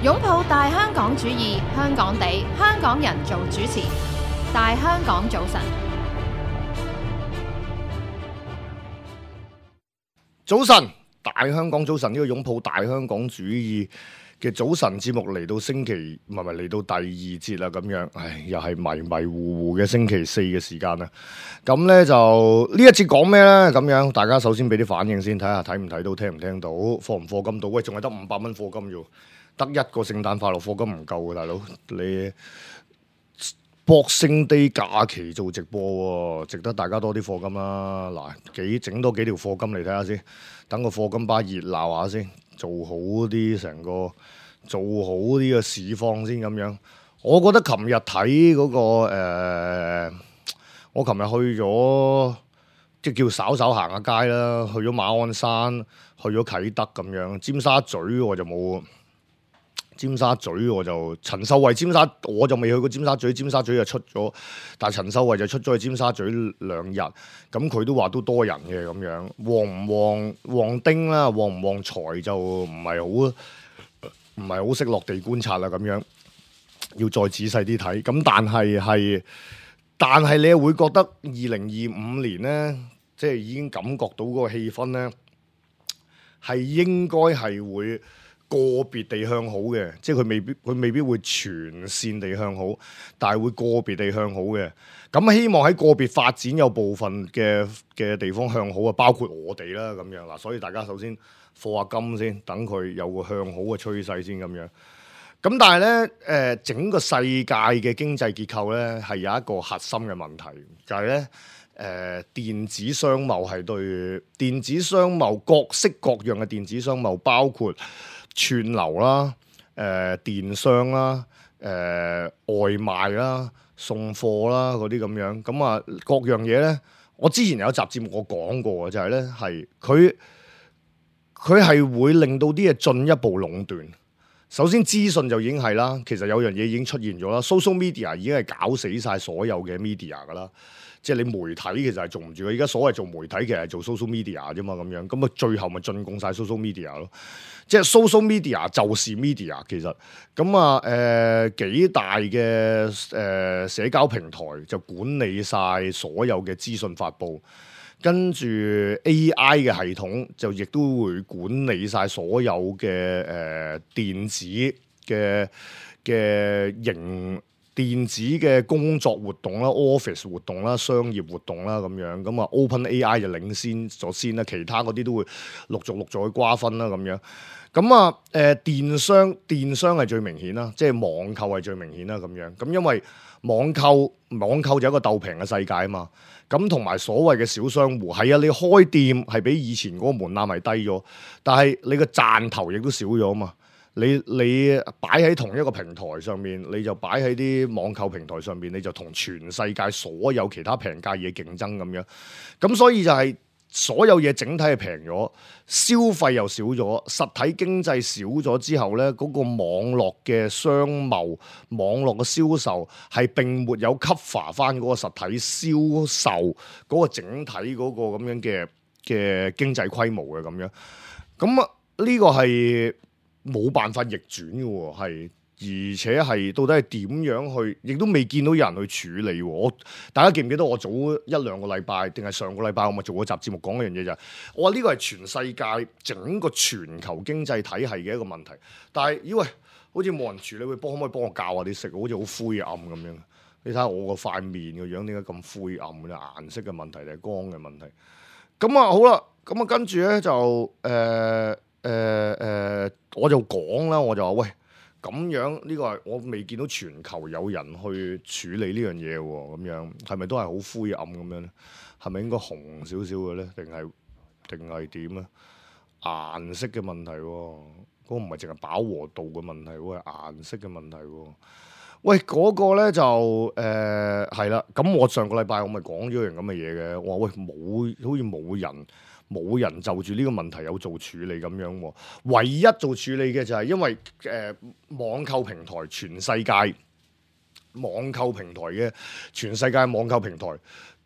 擁抱大香港主義，香港地，香港人做主持。大香港早晨，早晨，大香港早晨，呢個擁抱大香港主義嘅早晨節目嚟到嚟到第二節啦，咁樣，又係迷迷糊糊嘅星期四嘅時間啦。咁呢就呢一節講咩呢？咁樣，大家首先俾啲反應先，睇下睇唔睇到，聽唔聽到，課唔課金到？喂，仲係得500蚊課金要，得一個聖誕快樂課金唔夠嘅，大佬你。Boxing Day假期做直播喎，值得大家多啲課金啦。嗱，整多幾條課金嚟睇下先，等個課金巴熱鬧下先，做好啲嘅市況先咁樣。我覺得琴日睇嗰個我琴日去咗即叫稍稍行下街啦，去咗馬鞍山，去咗啟德咁樣，尖沙咀我就冇。尖沙咀我就陳秀慧我就未去過尖沙咀，尖沙咀就出咗，但係陳秀慧就出咗去尖沙咀2日，咁佢都話都多人嘅咁樣，旺唔旺丁啦，旺唔旺財就唔係好識落地觀察啦咁樣，要再仔細啲睇。咁但係你又會覺得2025年呢，即係已經感覺到嗰個氣氛呢，係應該係會個別地向好嘅，即係佢未必會全線地向好，但係會個別地向好嘅。咁希望喺個別發展有部分嘅地方向好啊，包括我哋啦咁樣嗱。所以大家首先課下金先，等佢有個向好嘅趨勢先咁樣。咁但係呢，整個世界嘅經濟結構呢，係有一個核心嘅問題，就係呢。電子商貿係對電子商貿各式各樣嘅電子商貿，包括串流啦、電商啦、外賣啦、送貨啦嗰啲咁樣，咁啊各樣嘢呢，我之前有一集節目我講過嘅，就係呢，係佢係會令到啲嘢進一步壟斷。首先資訊就已經係啦，其實有樣嘢已經出現咗啦。Social media 已經係搞死晒所有嘅 media 噶啦，即係你媒體其實係做唔住嘅。而家所謂做媒體其實係做 social media 啫嘛，咁樣咁啊，最後咪進貢晒 social media 咯。即係 social media 就是 media 其實咁啊幾大嘅社交平台就管理晒所有嘅資訊發布。跟住 AI 嘅系統就亦都會管理晒所有嘅電子嘅工作活動啦、office 活動啦、商業活動啦咁樣，咁啊 OpenAI 就領先咗先啦，其他嗰啲都會陸續去瓜分啦咁樣。咁啊電商係最明顯啦，即係網購係最明顯啦咁樣。咁因為網購就一個鬥平嘅世界啊嘛。咁同埋所謂嘅小商戶係啊，你開店係比以前嗰個門檻係低咗，但係你個賺頭亦都少咗啊嘛。你擺喺同一個平台上面，你就擺喺啲網購平台上面，你就同全世界所有其他平價嘢競爭咁樣。咁所以就係所有嘢整體係平咗，消費又少咗，實體經濟少咗之後呢，嗰個網絡嘅商貿、網絡嘅銷售係並沒有 cover 翻嗰個實體銷售嗰個整體嗰個咁樣嘅經濟規模嘅咁樣。咁啊呢個係冇辦法逆轉嘅喎，係。而且係到底係點樣去，亦都未見到有人去處理喎。大家記唔記得我早1-2個禮拜，定係上個禮拜我咪做過集節目講一樣嘢就係，我話呢個係全世界整個全球經濟體系嘅一個問題。但係以為好似冇人處理，可唔可以幫我教下啲色？好似好灰暗咁樣。你睇下我個塊面個樣點解咁灰暗嘅？顏色嘅問題定係光嘅問題？咁啊好啦，咁啊跟住咧就我就講啦，我就話喂。咁樣呢個係我未見到全球有人去處理呢樣嘢喎，咁樣係咪都係好灰暗咁樣咧？係咪應該紅少少嘅咧？定係點咧？顏色嘅問題喎，嗰個唔係淨係飽和度嘅問題喎，係顏色嘅問題喎。喂，嗰個咧就係啦。咁我上個禮拜我咪講咗樣咁嘅嘢嘅，我話喂好似冇人就住呢個問題有做處理咁樣喎，唯一做處理嘅就係因為網購平台全世界網購平台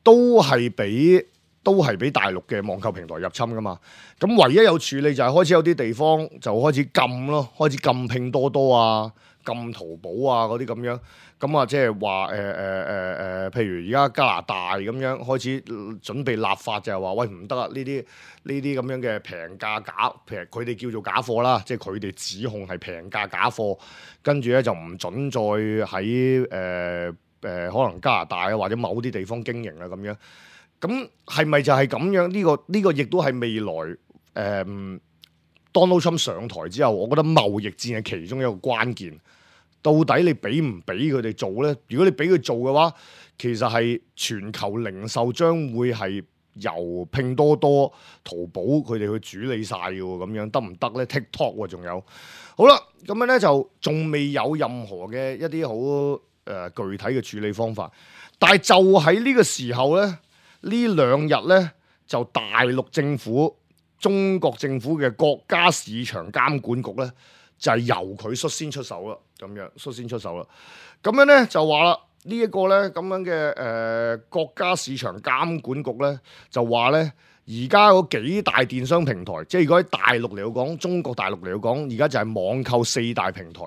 都係俾都係俾大陸嘅網購平台入侵噶嘛。咁唯一有處理就係開始有啲地方就開始禁咯，開始禁拼多多啊、禁淘寶啊嗰啲咁樣。咁啊，即係話譬如而家加拿大咁樣開始準備立法，就係話喂唔得啊！呢啲咁樣嘅平價佢哋叫做假貨啦，即係佢哋指控係平價假貨，跟住咧就唔準再喺可能加拿大啊或者某啲地方經營啦咁樣。咁係咪就係咁樣？呢個亦都係未來Donald Trump 上台之後，我覺得貿易戰係其中一個關鍵。到底你俾唔俾佢哋做呢？如果你俾佢做嘅話，其實係全球零售將會係由拼多多、淘寶佢哋去處理晒嘅喎，咁樣得唔得呢？ TikTok 喎，仲有好啦，咁樣呢，就仲未有任何嘅一啲好具體嘅處理方法，但係就喺呢個時候呢，呢兩日呢，就大陸政府、中國政府嘅國家市場監管局呢，就係由佢率先出手啦，咁樣率先出手啦。咁樣咧就話啦，呢一個咧咁樣嘅國家市場監管局咧就話咧，而家嗰幾大電商平台，即係如果喺大陸嚟講，中國大陸嚟講，而家就係網購四大平台。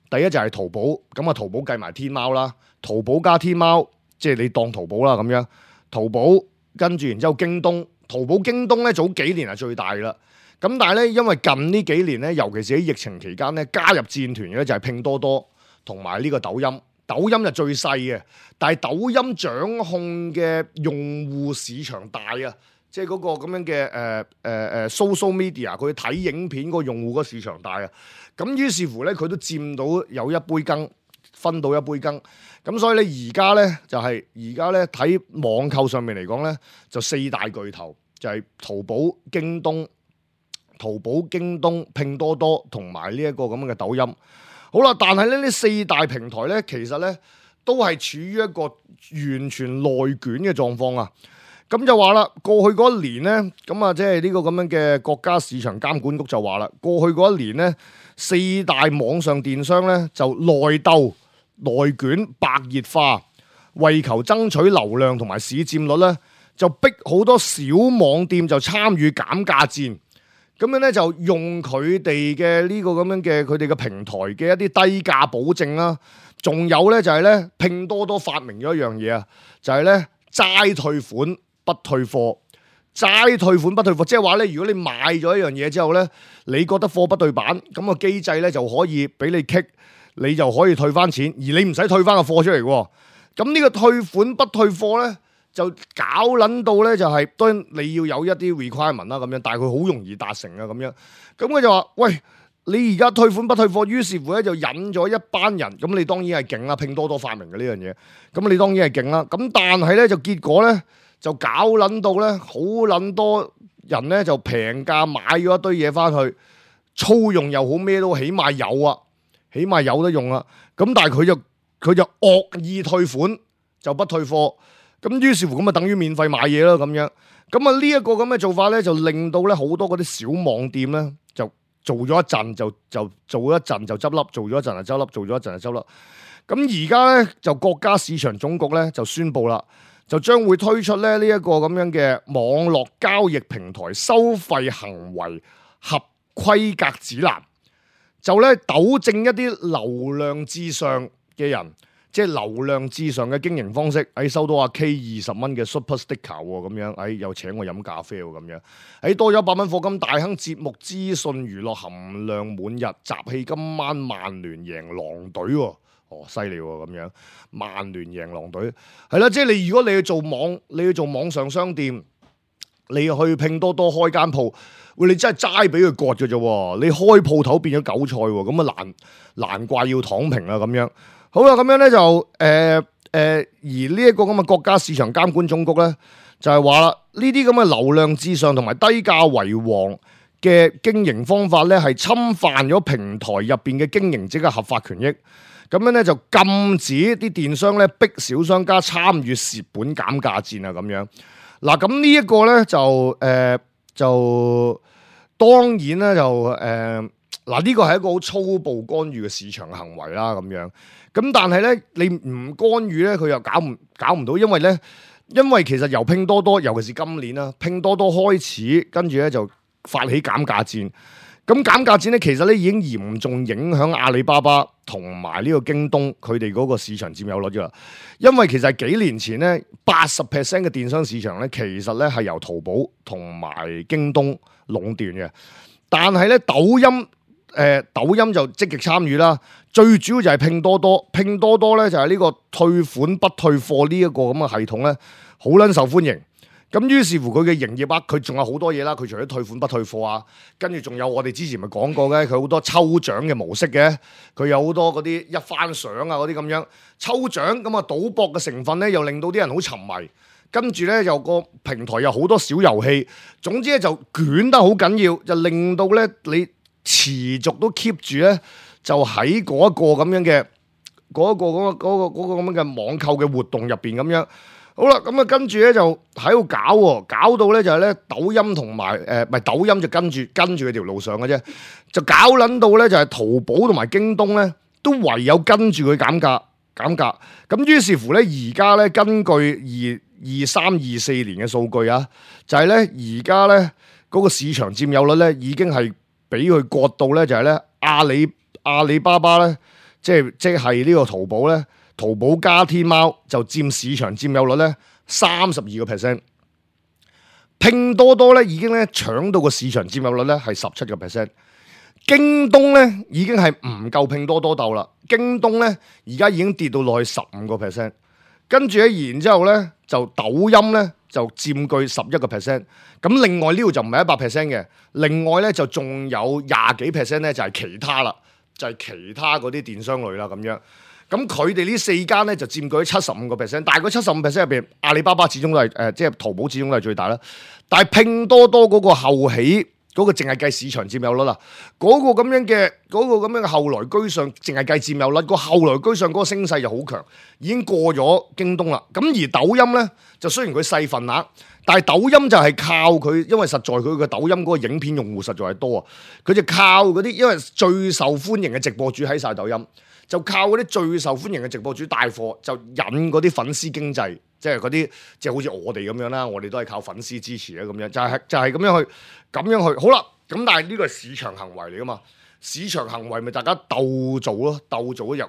第一就係淘寶，咁啊淘寶計埋天貓啦，淘寶加天貓，即係你當淘寶啦咁樣。淘寶跟住然之後京東，淘寶京東咧早幾年係最大啦。咁但係咧，因為近呢幾年咧，尤其是喺疫情期間咧，加入戰團嘅咧就係拼多多同埋呢個抖音。抖音就最細嘅，但係抖音掌控嘅用戶市場大啊，即係嗰個咁樣嘅social media，佢睇影片個用戶嗰個市場大啊。咁於是乎咧，佢都佔到有一杯羹，分到一杯羹。咁所以咧，而家咧就係而家咧睇網購上面嚟講咧，就四大巨頭就係淘寶、京東、拼多多同埋呢一個咁樣嘅抖音。好啦，但係咧呢四大平台咧，其實咧都係處於一個完全內捲嘅狀況啊。咁就話啦，過去嗰一年咧，咁啊即係呢個咁樣嘅國家市場監管局就話啦，過去嗰一年咧，四大網上電商咧就內鬥、內捲、白熱化，為求爭取流量同埋市佔率咧，就逼好多小網店就參與減價戰。咁樣咧就用佢哋嘅呢個咁樣嘅佢哋嘅平台嘅一啲低價保證啦，仲有咧就係咧拼多多發明咗一樣嘢啊，就係咧齋退款不退貨，齋退款不退貨，即係話咧如果你買咗一樣嘢之後咧，你覺得貨不對版，咁個機制咧就可以俾你kick，你就可以退翻錢，而你唔使退翻個貨出嚟喎。咁呢個退款不退貨咧，就搞撚到咧，就係當然你要有一啲 requirement 啦咁樣，但係佢好容易達成啊咁樣。咁佢就話：喂，你而家退款不退貨，於是乎咧就引咗一班人。咁你當然係勁啦，拼多多發明嘅呢樣嘢。咁你當然係勁啦。咁但係咧就結果咧就搞撚到咧，好撚多人咧就平價買咗一堆嘢翻去，粗用又好咩都起碼有啊，起碼有得用啦。咁但係佢就惡意退款就不退貨。咁於是乎咁啊，等於免費買嘢啦咁樣。咁啊呢一個咁嘅做法咧，就令到咧好多嗰啲小網店咧，就做咗一陣就做咗一陣就執笠，做咗一陣就執笠，做咗一陣就執笠。咁而家咧就國家市場總局咧就宣布啦，就將會推出咧呢一個咁樣嘅網絡交易平台收費行為合規格指南，就咧糾正一啲流量至上嘅人。即係流量至上嘅經營方式，收到阿 K 20蚊嘅 Super Sticker 喎，咁樣，又請我飲咖啡喎，咁樣，多咗100蚊課金，大亨節目資訊娛樂含量滿日，集氣今晚曼聯贏狼隊喎，犀利喎，咁樣，曼聯贏狼隊，係啦，即係你如果你去做網上商店，你去拼多多開間鋪，喂，你真係齋俾佢割嘅啫喎，你開鋪頭變咗韭菜喎，咁啊難怪要躺平啦咁樣。好啦，咁樣咧就而呢一個咁嘅國家市場監管總局咧，就係話啦，呢啲咁嘅流量至上同埋低價為王嘅經營方法咧，係侵犯咗平台入邊嘅經營者嘅合法權益。咁樣咧就禁止啲電商咧逼小商家參與蝕本減價戰啊咁樣。嗱，咁呢一個咧就當然咧就呢個係一個好粗暴干預嘅市場行為啦，咁樣。咁但係咧，你唔干預咧，佢又搞唔到，因為咧因為其實由拼多多，尤其是今年啦，拼多多開始，跟住咧就發起減價戰。咁減價戰咧，其實咧已經嚴重影響阿里巴巴同埋呢個京東佢哋嗰個市場佔有率噶啦。因為其實幾年前咧，80% 嘅電商市場咧，其實咧係由淘寶同埋京東壟斷嘅。但係咧，抖音就積極參與啦。最主要就係拼多多，拼多多咧就係呢個退款不退貨呢一個咁嘅系統咧，好撚受歡迎。咁於是乎佢嘅營業額，佢仲有好多嘢啦。佢除咗退款不退貨啊，跟住仲有我哋之前咪講過嘅，佢好多抽獎嘅模式嘅。佢有好多嗰啲一番賞啊嗰啲咁樣抽獎，咁啊賭博嘅成分咧，又令到啲人好沉迷。跟住咧又個平台有好多小遊戲，總之咧就捲得好緊要，就令到咧你持續都 keep 住咧，就喺嗰一個咁樣嘅嗰個咁樣嘅網購嘅活動入邊咁樣。好啦，咁啊跟住咧就喺度搞喎，搞到咧就係咧抖音同埋唔係抖音就跟住佢條路上嘅啫，就搞撚到咧就係淘寶同埋京東咧都唯有跟住佢減價。咁於是乎咧而家咧根據23-24年嘅數據啊，就係咧而家咧嗰個市場佔有率咧已經係俾佢割到咧就係咧阿里巴巴咧即係呢個淘寶咧。淘寶加天貓就佔市場佔有率咧32%，拼多多咧已經咧搶到個市場佔有率咧係17%，京東咧已經係唔夠拼多多鬥啦，京東咧而家已經跌到落去15%，跟住咧然之後咧就抖音咧就佔據11%，咁另外呢度就唔係100%嘅，另外咧就仲有20幾%咧就係其他啦，就係其他嗰啲電商類啦咁樣。咁佢哋呢4間咧就佔據咗75%，但係嗰75%入邊，阿里巴巴始終都係即係淘寶始終都係最大啦。但係拼多多嗰個後起嗰個淨係計市場佔有率啦，嗰個咁樣嘅後來居上，淨係計佔有率，個後來居上嗰個聲勢就好強，已經過咗京東啦。咁而抖音咧就雖然佢細份額，但係抖音就係靠佢，因為實在佢嘅抖音嗰個影片用戶實在係多啊，佢就靠嗰啲因為最受歡迎嘅直播主喺晒抖音。就靠嗰啲最受歡迎嘅直播主帶貨，就引嗰啲粉絲經濟，即係嗰啲即係好似我哋咁樣啦，我哋都係靠粉絲支持啊咁樣，就係咁樣去，好啦，咁但係呢個係市場行為嚟噶嘛，市場行為咪大家鬥做咯，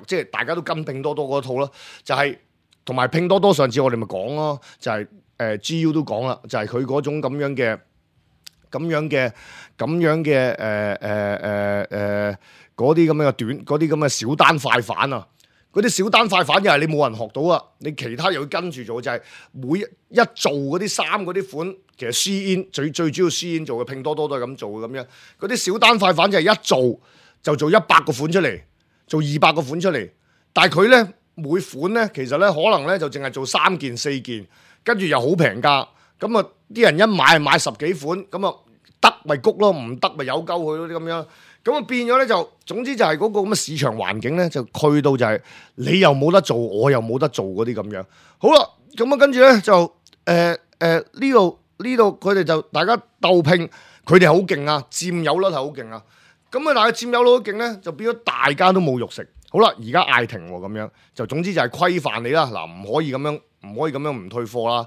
即係大家都跟拼多多嗰套咯，就係同埋拼多多上次我哋咪講咯，就係GU 都講啦，就係佢嗰種咁樣嘅嗰啲咁嘅嗰啲咁嘅小單快反啊，嗰啲小單快反又係你冇人學到啊，你其他又要跟住做，就係每一做嗰啲衫嗰啲款，其實 Shein 最主要 Shein 做嘅，拼多多都係咁做嘅咁樣，嗰啲小單快反就係一做就做100個款出嚟，做200個款出嚟，但係佢咧每款咧其實咧可能咧就淨係做3件4件，跟住又好平價，咁啊啲人一買10幾款，咁啊得咪谷咯，唔得咪有鳩佢咯啲咁樣。咁啊變咗咧就，總之就係嗰個咁嘅市場環境咧，就去到就係你又冇得做，我又冇得做嗰啲咁樣。好啦，咁啊跟住咧就呢度佢哋就大家鬥拼，佢哋好勁啊，佔有率係好勁啊。咁啊但係佔有率好勁咧，就變咗大家都冇肉食。好啦，而家嗌停喎咁樣，就總之就係規範你啦。嗱，唔可以咁樣唔退貨啦，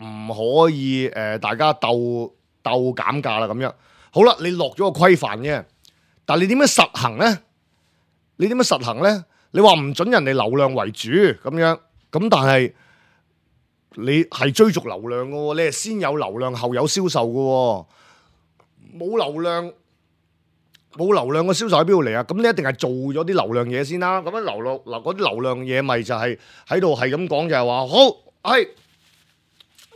唔可以大家鬥減價啦咁樣。好啦，你落咗個規範啫。但係你點樣實行咧？你話唔准人哋流量為主咁樣，咁但係你係追逐流量嘅喎，你係先有流量後有銷售嘅喎，冇流量嘅銷售喺邊度嚟啊？咁你一定係做咗啲流量嘢先啦。咁樣嗰啲流量嘢咪就係喺度係咁講，就係話好係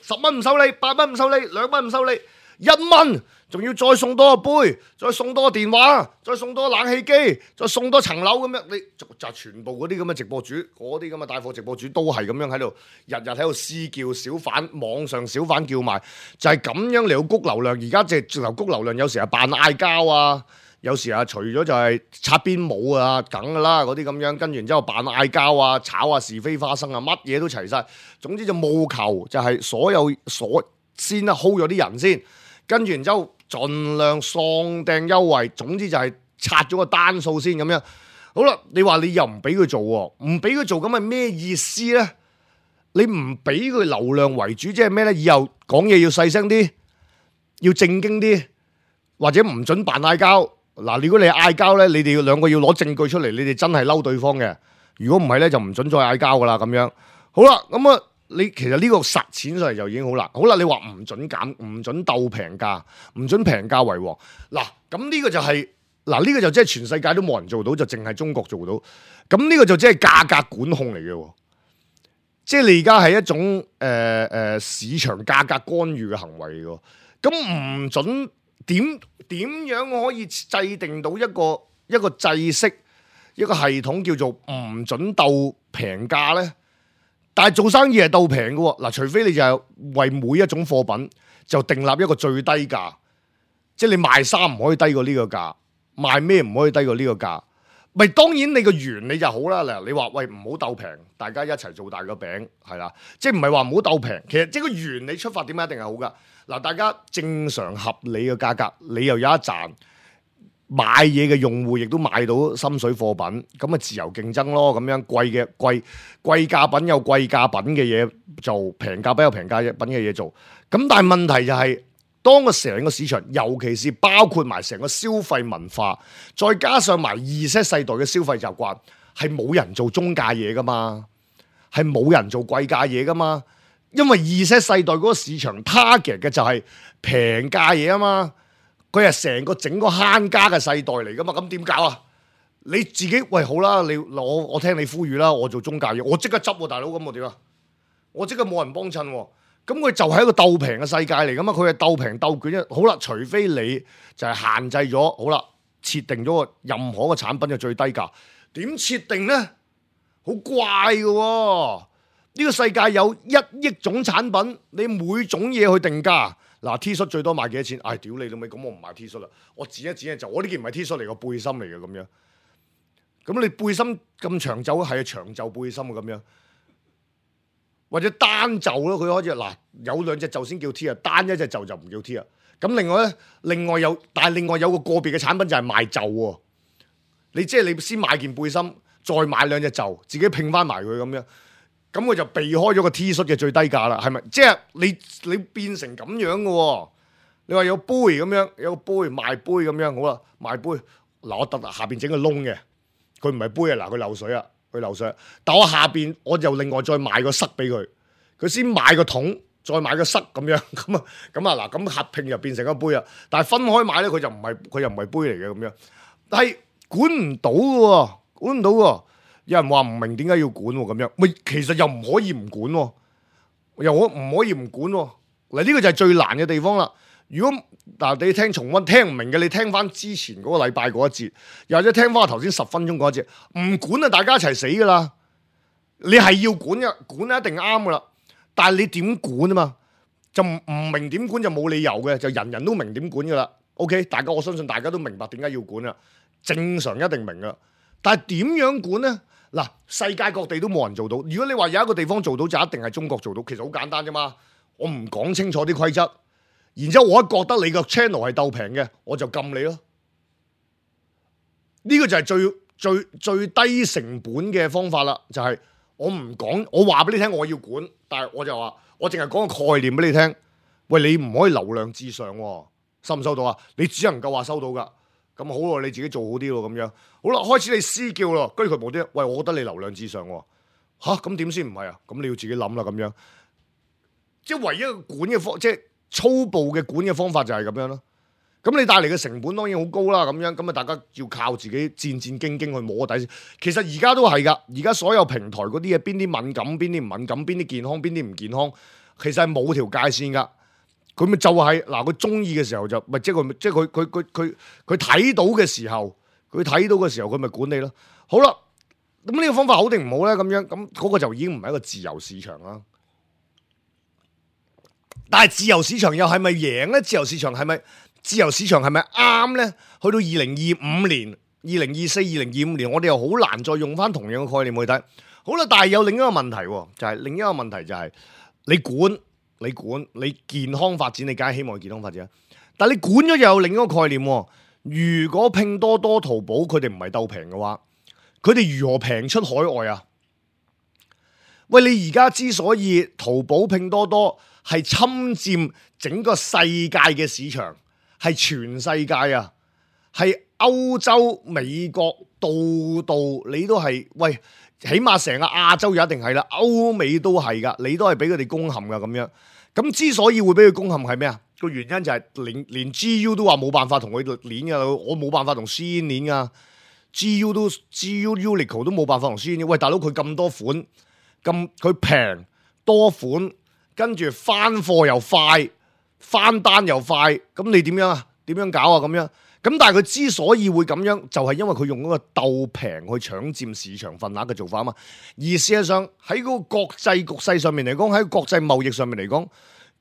10蚊唔收你，8蚊唔收你，2蚊唔收你，1蚊。仲要再送多個杯，再送多個電話，再送多個冷氣機，再送多層樓咁樣，你就全部嗰啲咁嘅直播主，嗰啲咁嘅帶貨直播主都係咁樣喺度，日喺度私叫小販，網上小販叫賣，就係咁樣嚟到谷流量。而家即係直頭谷流量，有時係扮嗌交啊，有時啊除咗就係擦邊舞啊，梗噶啦嗰啲咁樣，跟住然之後扮嗌交啊，炒啊是非花生啊，乜嘢都齊晒。總之就務求就係先 hold 咗啲人先，跟住然之後。盡量喪掟優惠，總之就係拆咗個單數先咁樣。好啦，你話你又唔俾佢做喎，唔俾佢做咁係咩意思咧？你唔俾佢流量為主，即係咩咧？以後講嘢要細聲啲，要正經啲，或者唔准扮嗌交。嗱，如果你嗌交咧，你哋兩個要攞證據出嚟，你哋真係嬲對方嘅。如果唔係咧，就唔准再嗌交噶啦。咁樣好啦，咁啊，你其實呢個實踐上嚟就已經好難。好啦，你話唔准減，唔准鬥平價，唔准平價為王。嗱，咁呢個就係呢個就即係全世界都冇人做到，就淨係中國做到。咁呢個就即係價格管控嚟嘅。即係你而家係一種市場價格干預嘅行為嚟嘅，咁唔准點樣可以制定到一個制式一個系統叫做唔准鬥平價咧？但係做生意係鬥平嘅喎，嗱，除非你就係為每一種貨品就訂立一個最低價，即係你賣衫唔可以低過呢個價，賣咩唔可以低過呢個價。咪當然你個原理就好啦，嗱，你話喂，唔好鬥平，大家一齊做大個餅，係啦，即係唔係話唔好鬥平，其實即係個原理出發點一定係好噶。嗱，大家正常合理嘅價格，你又有一賺，買嘢嘅用戶亦都買到心水貨品，咁啊自由競爭咯，咁樣貴價品有貴價品嘅嘢做，平價品有平價品嘅嘢做，咁但係問題就係，當個成個市場，尤其是包括埋成個消費文化，再加上埋Z世代嘅消費習慣，係冇人做中價嘢噶嘛，係冇人做貴價嘢噶嘛，因為Z世代嗰個市場 target 嘅就係平價嘢啊嘛，佢係成個整個慳家嘅世代嚟噶嘛，咁點搞啊？你自己喂好啦，我聽你呼籲啦，我做中價嘢，我即刻執喎，大佬，咁我點啊？我即刻冇人幫襯喎。咁佢就係一個鬥平嘅世界嚟噶嘛，佢係鬥平鬥卷啫。好啦，除非你就係限制咗，好啦，設定咗個任何嘅產品嘅最低價，點設定呢？好怪嘅喎，呢個世界有1億種產品，你每種嘢去定價。嗱，T 恤最多賣幾多錢？唉，屌你老味，咁我唔賣 T 恤啦，我剪一剪就我呢件唔係 T 恤嚟，個背心嚟嘅咁樣。咁你背心咁長袖係長袖背心啊咁樣。或者單袖咯，佢開始嗱有兩隻袖先叫 T 啊，單一隻袖就唔叫 T 啊。咁另外有個別嘅產品就係賣袖喎。你即係你先買件背心，再買兩隻袖，自己拼翻埋佢咁樣，咁佢就避開咗個 T 恤嘅最低價啦，係咪？即係你變成咁樣嘅喎。你話有杯咁樣，有個杯賣杯咁樣，好啦，賣杯嗱我特下邊整個窿嘅，佢唔係杯啊，嗱佢漏水啊。佢流水，但我下邊我就另外再買個塞俾佢，佢先買個桶，再買個塞咁樣，咁啊嗱，咁合拼就變成一杯啊。但係分開買咧，佢又唔係杯嚟嘅咁樣，但係管唔到嘅，管唔到嘅。有人話唔明點解要管咁樣，咪其實又唔可以唔管，又我唔可以唔管。嗱，呢個就係最難嘅地方啦。如果嗱你聽重溫聽唔明嘅，你聽翻之前嗰個禮拜嗰一節，又或者聽翻我頭先10分鐘嗰一節，唔管啊，大家一齊死噶啦！你係要管嘅，管一定啱噶啦。但係你點管啊嘛？就唔明點管就冇理由嘅，就人人都明點管噶啦。OK， 大家我相信大家都明白點解要管啦，正常一定明噶。但係點樣管呢？嗱，世界各地都冇人做到。如果你話有一個地方做到，就一定係中國做到。其實好簡單啫嘛，我唔講清楚啲規則。然之後我一覺得你個 channel 係鬥平嘅，我就禁你咯。呢個就係最低成本嘅方法啦。就係我唔講，我話俾你聽我要管，但係我就話我淨係講個概念俾你聽。喂，你唔可以流量至上喎，收唔收到啊？你只能夠話收到噶。咁好咯，你自己做好啲咯，咁樣好啦。開始你私叫咯，居佢無啲。喂，我覺得你流量至上喎。吓，咁點先唔係啊？咁你要自己諗啦，咁樣。即係唯一個管嘅方，即係粗暴嘅管嘅方法就係咁樣咯。咁你帶嚟嘅成本當然好高啦，咁樣咁啊，大家要靠自己戰戰兢兢去摸底線。其實而家都係噶，而家所有平台嗰啲嘢，邊啲敏感，邊啲唔敏感，邊啲健康，邊啲唔健康，其實係冇條界線噶。佢咪就係嗱，佢中意嘅時候就咪即係佢睇到嘅時候，佢咪管你咯。好啦，咁呢個方法好定唔好咧？咁樣咁嗰個就已經唔係一個自由市場啦。但係自由市場又係咪贏咧？自由市場係咪啱咧？去到2025年、2024、2025年，我哋又好難再用翻同樣嘅概念去睇。好啦，但係有另一個問題，就係你健康發展，你梗係希望健康發展。但係你管咗又有另一個概念。如果拼多多、淘寶佢哋唔係鬥平嘅話，佢哋如何平出海外啊？喂，你而家之所以淘寶、拼多多係侵佔整個世界嘅市場，係全世界啊，係歐洲、美國，度度你都係喂，起碼成個亞洲一定係啦，歐美都係噶，你都係俾佢哋攻陷噶咁樣。咁之所以會俾佢攻陷係咩啊？個原因就係連 GU 都話冇辦法同佢鏈噶，我冇辦法同 Shein 鏈噶，GU Uniqlo 都冇辦法同 Shein。喂，大佬佢咁多款，咁佢平多款，跟住翻貨又快，翻單又快，咁你點樣啊？點樣搞啊？咁樣咁，但係佢之所以會咁樣，就係因為佢用嗰個鬥平去搶佔市場份額嘅做法啊嘛。而事實上喺嗰個國際局勢上面嚟講，喺國際貿易上面嚟講，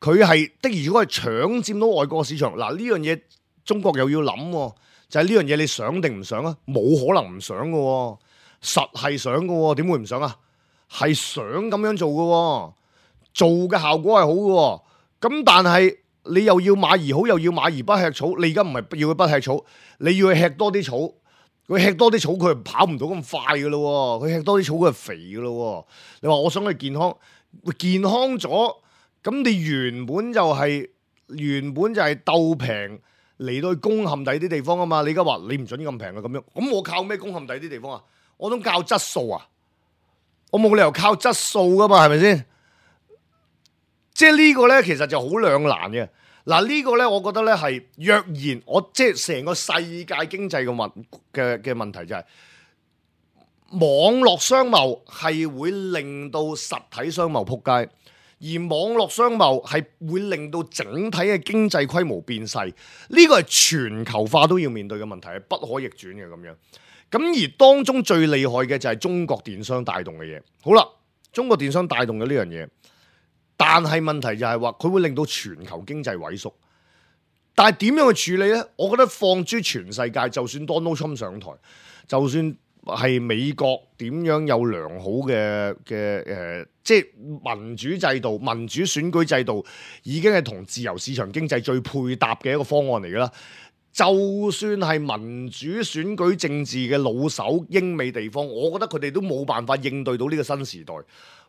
佢係的而且確係搶佔到外國市場。嗱，呢樣嘢中國又要諗，就係呢樣嘢你想定唔想啊？冇可能唔想嘅，實係想嘅，點會唔想啊？係想咁樣做嘅，做嘅效果係好嘅。咁但係你又要馬兒好，又要馬兒不吃草。你而家唔係要佢不吃草，你要佢吃多啲草。佢吃多啲草，佢係跑唔到咁快嘅咯。佢吃多啲草，佢係肥嘅咯。你話我想佢健康，健康咗，咁你原本就係鬥平嚟到去攻陷第啲地方啊嘛。你而家話你唔準咁平嘅咁樣，咁我靠咩攻陷第啲地方啊？我想靠質素啊！我冇理由靠質素噶嘛，係咪先？即係呢個咧，其實就好兩難嘅。嗱，呢個咧，我覺得咧係若然我即係成個世界經濟嘅問題就係網絡商貿係會令到實體商貿撲街，而網絡商貿係會令到整體嘅經濟規模變細。呢個係全球化都要面對嘅問題，係不可逆轉嘅咁樣。咁而當中最厲害嘅就係中國電商帶動嘅嘢。好啦，中國電商帶動嘅呢樣嘢，但係問題就係話佢會令到全球經濟萎縮。但係點樣去處理呢？我覺得放諸全世界，就算 Donald Trump 上台，就算係美國點樣有良好嘅即係民主制度、民主選舉制度，已經係同自由市場經濟最配搭嘅一個方案嚟㗎啦。就算係民主選舉政治嘅老手英美地方，我覺得佢哋都冇辦法應對到呢個新時代。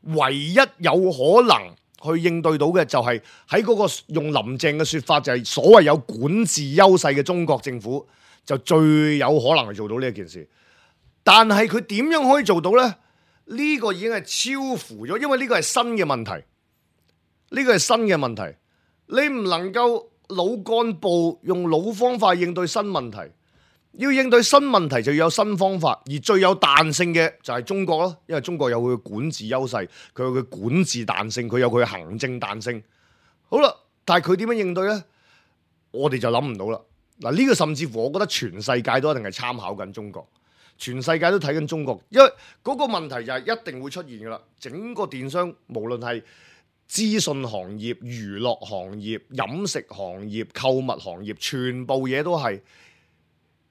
唯一有可能去應對到嘅就係喺嗰個用林鄭嘅説法，就係所謂有管治優勢嘅中國政府就最有可能去做到呢一件事。但係佢點樣可以做到呢？呢個已經係超乎咗，因為呢個係新嘅問題。呢個係新嘅問題，你唔能夠老幹部用老方法應對新問題，要應對新問題就要有新方法，而最有彈性嘅就係中國咯，因為中國有佢嘅管治優勢，佢有佢管治彈性，佢有佢嘅行政彈性。好啦，但係佢點樣應對呢？我哋就諗唔到啦。嗱，呢個甚至乎我覺得全世界都一定係參考緊中國，全世界都睇緊中國，因為嗰個問題就係一定會出現噶啦。整個電商無論係資訊行業、娛樂行業、飲食行業、購物行業，全部嘢都係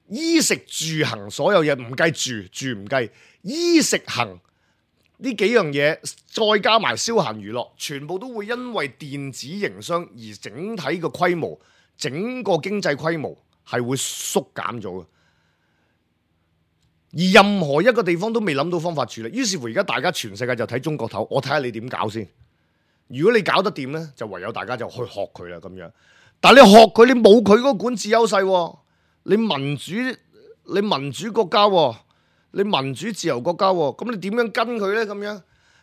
衣食住行，所有嘢唔計住唔計，衣食行呢幾樣嘢，再加埋消閒娛樂，全部都會因為電子營商而整體嘅規模、整個經濟規模係會縮減咗嘅。而任何一個地方都未諗到方法處理，於是乎而家大家全世界就睇中國頭，我睇下你點搞先。如果你搞得掂呢，就唯有大家就去學佢啦咁樣。但係你學佢，你冇佢嗰個管治優勢，你民主國家，你民主自由國家，咁你點樣跟佢呢？咁樣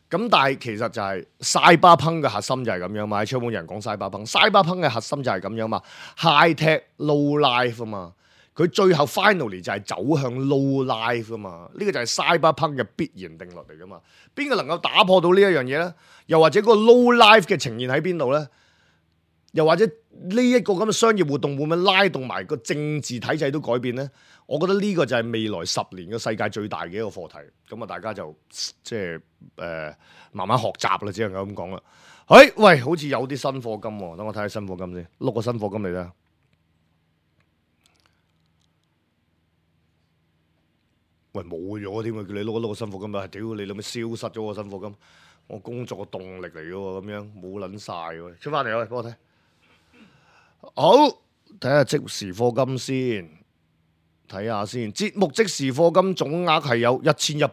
咁，但係其實就係 Cyberpunk 嘅核心就係咁樣嘛。喺窗門有人講 Cyberpunk 嘅核心就係咁樣嘛。High tech low life 啊嘛，佢最後 finally 就係走向 low life 啊嘛。呢個就係 Cyberpunk 嘅必然定律嚟噶嘛。邊個能夠打破到呢一樣嘢呢？又或者個 low life 嘅呈現喺邊度呢？又或者呢一個咁嘅商業活動會唔會拉動埋個政治體制都改變呢？我覺得呢個就係未來10年嘅世界最大嘅一個課題。咁啊，大家就即係慢慢學習啦，只能夠咁講啦。喂，好似有啲新課金喎，等我睇下新課金先，碌個新課金嚟啦。喂，冇咗添啊！叫你碌個新課金啊！屌你諗咩消失咗個新課金？我工作嘅動力嚟嘅喎，咁樣冇撚晒喎。出翻嚟喂，幫我睇。好，睇下即時課金先，睇下先，節目即時課金總額係有1188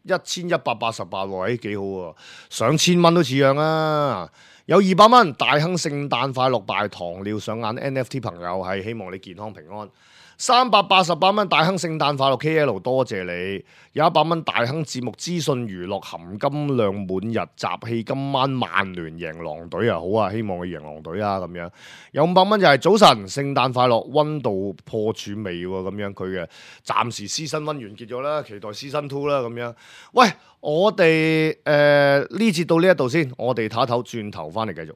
喎，幾好喎，上千蚊都似樣啊！有200蚊，大亨聖誕快樂，拜糖尿上眼 NFT 朋友係希望你健康平安。388蚊，大亨聖誕快樂 KL， 多謝你。有100蚊，大亨節目資訊娛樂含金量滿日集氣，今晚曼聯贏狼隊啊！好啊，希望佢贏狼隊啊咁樣。有500蚊就係早晨，聖誕快樂，溫度破處未喎咁樣，佢嘅暫時Season 1完結咗啦，期待Season 2啦咁樣。喂，我哋呢節到呢一度先，我哋唞一唞，轉頭翻嚟繼續。